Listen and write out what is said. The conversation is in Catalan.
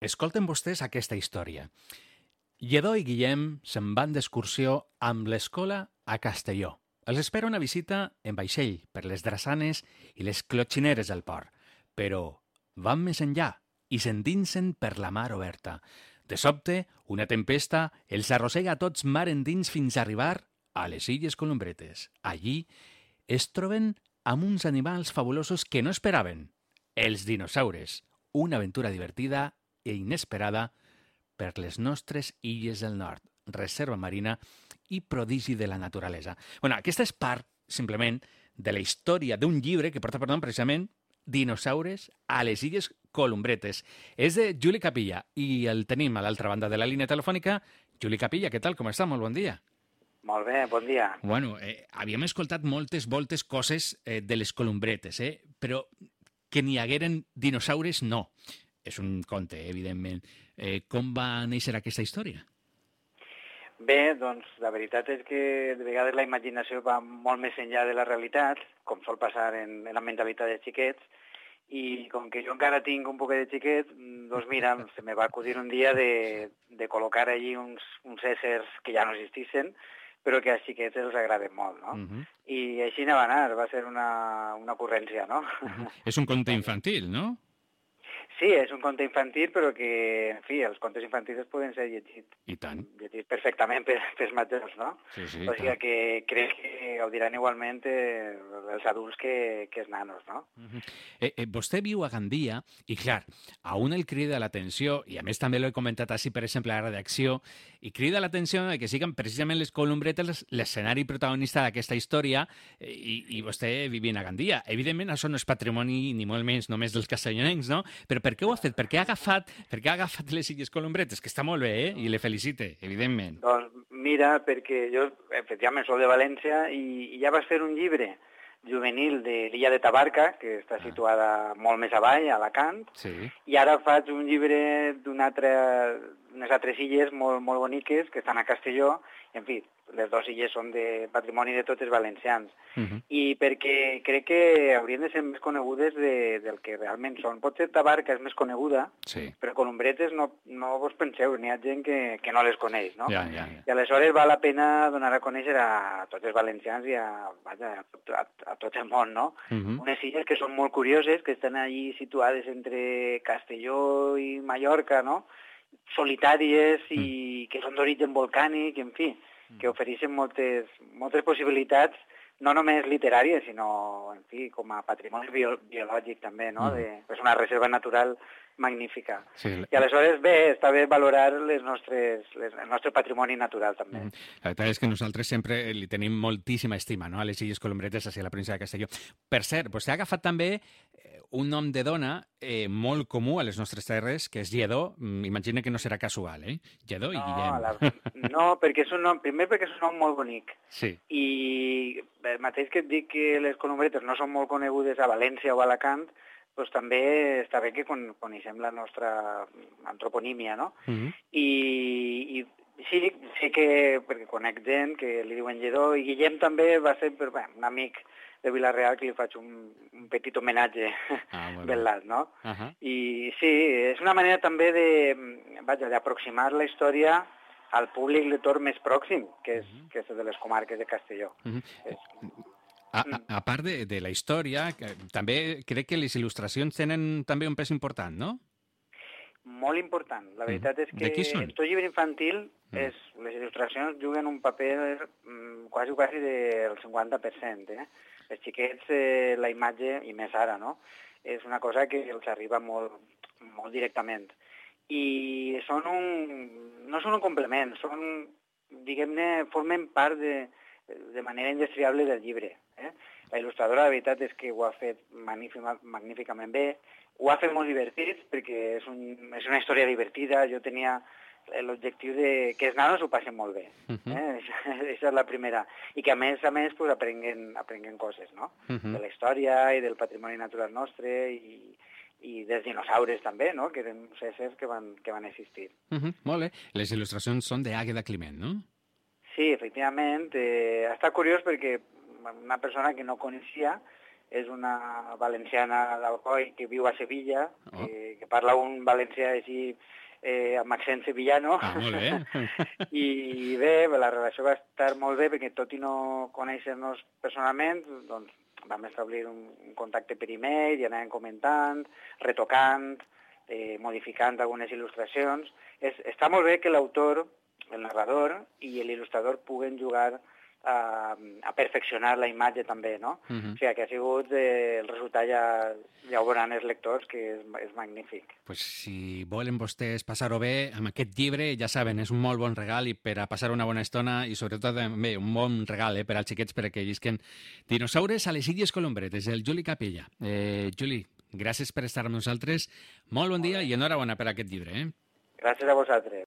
Escolten vostès aquesta història. Lledó i Guillem se'n van d'excursió amb l'escola a Castelló. Els espera una visita en vaixell per les drassanes i les clotxineres del port. Però van més enllà i s'endinsen per la mar oberta. De sobte, una tempesta els arrossega a tots mar endins fins a arribar a les Illes Columbretes. Allí es troben amb uns animals fabulosos que no esperaven. Els dinosaures. Una aventura divertida i inesperada per les nostres illes del nord, reserva marina i prodigi de la naturalesa. Bueno, aquesta és part, simplement, de la història d'un llibre que porta per nom precisament Dinosaures a les Illes Columbretes. És de Juli Capilla i el tenim a l'altra banda de la línia telefònica. Juli Capilla, què tal? Com està? Molt bon dia. Molt bé, bon dia. Bueno, havíem escoltat moltes coses de les Columbretes, però que n'hi hagueren dinosaures, no. És un conte, evidentment. Com va néixer aquesta història? Bé, doncs la veritat és que de vegades la imaginació va molt més enllà de la realitat, com sol passar en la mentalitat dels xiquets, i com que jo encara tinc un poquet de xiquet, doncs mira, se me va acudir un dia de col·locar allí uns éssers que ja no existissin, però que als xiquets els agraden molt, no? I així va anar, va ser una ocurrència, no? És un conte infantil, no? Sí, és un conte infantil, però que, en fi, els contes infantils poden ser llegits. I tant. Llegits perfectament pels majors, no? Sí, o sigui que crec que ho diran igualment els adults que els nanos, no? Vostè viu a Gandia i, clar, a un el crida l'atenció, i a més també l'he comentat així, per exemple, a la redacció, i crida l'atenció que siguin precisament les Columbretes l'escenari protagonista d'aquesta història i vostè vivint a Gandia. Evidentment, això no és patrimoni ni molt menys només dels castellonencs, no? Però per què ho ha fet? Per què ha agafat les Illes Columbretes? Que està molt bé, i le felicite, evidentment. Doncs mira, perquè jo, efectivament, soc de València i ja vas fer un llibre juvenil de l'illa de Tabarca, que està situada molt més avall, a Alacant, i ara faig un llibre d'unes altres illes molt boniques que estan a Castelló, i en fi, les dues illes són de patrimoni de tots els valencians. I perquè crec que haurien de ser més conegudes del que realment són. Potser Tabarca és més coneguda, però Columbretes no vos penseu, n'hi ha gent que no les coneix, no? I aleshores val la pena donar a conèixer a tots els valencians i a tot el món, no? Unes illes que són molt curioses, que estan allí situades entre Castelló i Mallorca, no? Solitàries i que són d'origen volcànic, en fi, que ofereixen moltes possibilitats, no només literàries, sinó, en fi, com a patrimoni biològic també, no? És una reserva natural magnífica. I aleshores, bé, està bé valorar el nostre patrimoni natural també. La veritat és que nosaltres sempre li tenim moltíssima estima, no?, a les Illes Columbretes, hacia la província de Castelló. Per cert, vostè ha agafat també un nom de dona molt comú a les nostres terres, que és Lledó. Imagina que no serà casual, Lledó i Guillem. No, perquè és un nom, primer perquè és un nom molt bonic. Sí. I el mateix que et dic que les Columbretes no són molt conegudes a València o a Alacant, doncs també està bé que coneixem la nostra antroponímia, no? I sí, sé que, perquè conec gent que li diuen Lledó, i Guillem també va ser un amic de Vila-real que li faig un petit homenatge velat, no? I sí, és una manera també d'aproximar la història al públic lector més pròxim, que és el de les comarques de Castelló. A part de la història, també crec que les il·lustracions tenen també un pes important, no? Molt important. La veritat és que en tot llibre infantil les il·lustracions juguen un paper quasi del 50%. Els xiquets, la imatge, i més ara, no? És una cosa que els arriba molt directament. I no són un complement, diguem-ne, formen part de manera indestriable del llibre. La il·lustradora, la veritat és que ho ha fet magníficament bé, ho ha fet molt divertit, perquè és una història divertida. Jo tenia l'objectiu de que els nanos ho passen molt bé. Aquesta és la primera. I que a més aprenguen coses, no? De la història i del patrimoni natural nostre i dels dinosaures també, no? Que eren uns éssers que van existir. Molt bé. Les il·lustracions són d'Àgueda Climent, no? Sí, efectivament. Està curiós perquè una persona que no coneixia és una valenciana d'Alcoi que viu a Sevilla, que parla un valencià així amb accent sevillano. Molt bé. I bé, la relació va estar molt bé perquè tot i no conèixer-nos personalment, doncs vam establir un contacte per email i anàvem comentant, retocant, modificant algunes il·lustracions. Està molt bé que l'autor, el narrador i l'il·lustrador puguen jugar a perfeccionar la imatge també, no? O sigui, que ha sigut el resultat, ja ho veuran els lectors, que és magnífic. Pues si volen vostès passar-ho bé amb aquest llibre, ja saben, és un molt bon regal i per a passar una bona estona i sobretot també un bon regal per als xiquets perquè llisquen dinosaures a les Illes Colombretes, el Juli Capella. Juli, gràcies per estar amb nosaltres, molt bon dia i enhorabona per aquest llibre. Gràcies a vosaltres.